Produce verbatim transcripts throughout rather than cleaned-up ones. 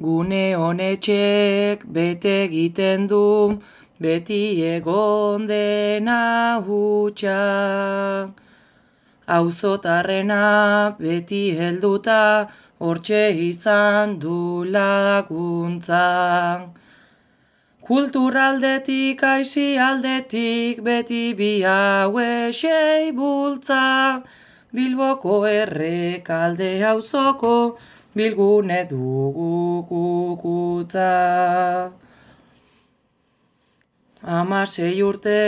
Gune honetxek bete egiten du, beti egon dena hutsa. Auzotarrena beti helduta, hortxe izan du laguntza. Kulturaldetik, aisialdetik, beti bi hauexei bultza. Bilboko errekalde auzoko, bilgune dugu kukutza. Hamasei urte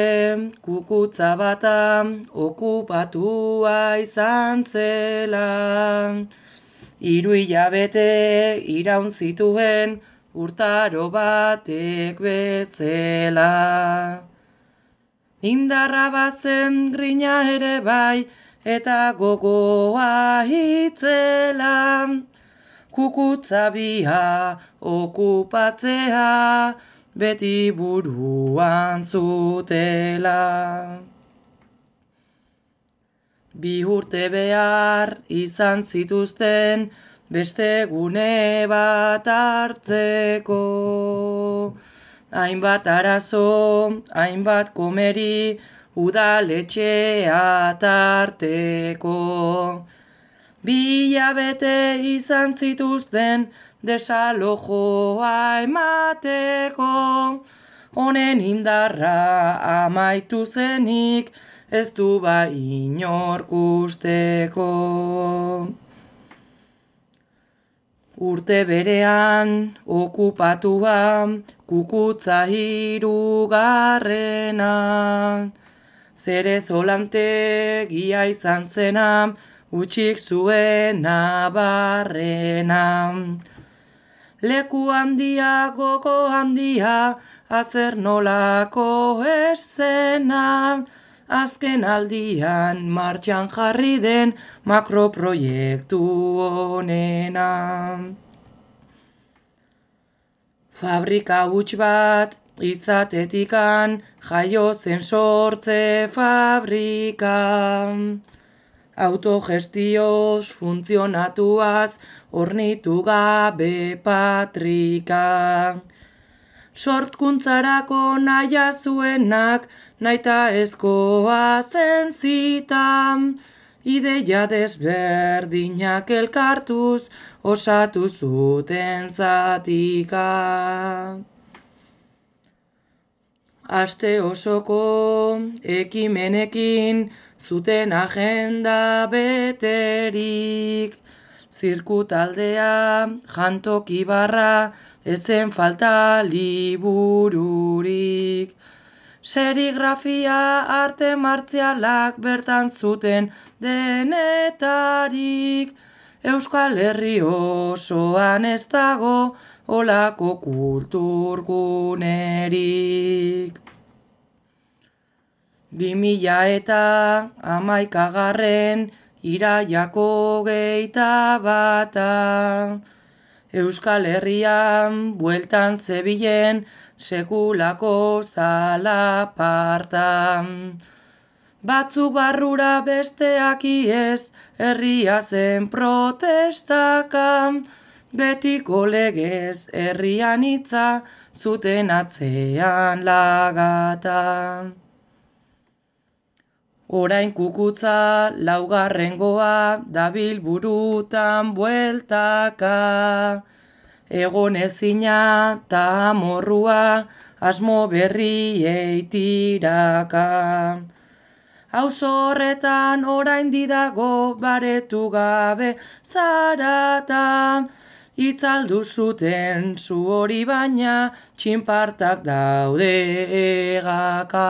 kukutza bata okupatua izan zela. Hiru hilabete iraun zituen urtaro batek bezala. Indarra bazen grina ere bai eta gogoa hitzela. Kukutza bia okupatzea beti buruan zutela. Bi urte behar izan zituzten beste gune bat hartzeko. Hainbat arazo, hainbat komeri, udaletxea tarteko. Bi hilabete izan zituzten desalojoa emateko. Honen indarra amaitu zenik, ez du ba inork usteko. Urte berean okupatua kukutza hirugarrena. Zerezolante gia izan zena, utxik zuena barrena. Leku handia, gogo handia, azer nolako esena. Azken aldian martxan jarri den makroproiektu honena. Fabrika huts bat itzatetikan jaio zen sortze fabrika. Autogestioz funtzionatuaz hornitu gabe patrika. Sortkuntzarako naia zuenak, naita ezkoa zen zitan. Ideia desberdinak elkartuz, osatu zuten zatika. Aste osoko ekimenekin, zuten agenda beterik. Zirkutaldea, jantoki barra, ezen falta libururik. Serigrafia, arte martzialak bertan zuten denetarik. Euskal Herri osoan ez dago olako kulturgunerik. Bi mila eta hamaikagarren iraiako geita bata. Euskal Herrian bueltan zebilen sekulako zalaparta. Batzuk barrura besteak iez, herria zen protestaka. Betiko legez herrian hitza, zuten atzean lagata. Orain kukutza laugarrengoa dabil burutan bueltaka. Egon ezina ta amorrua asmo berriei tiraka. Auzo horretan orain didago baretu gabe zarata. Itzaldu zuten zu hori baina txinpartak daude egaka.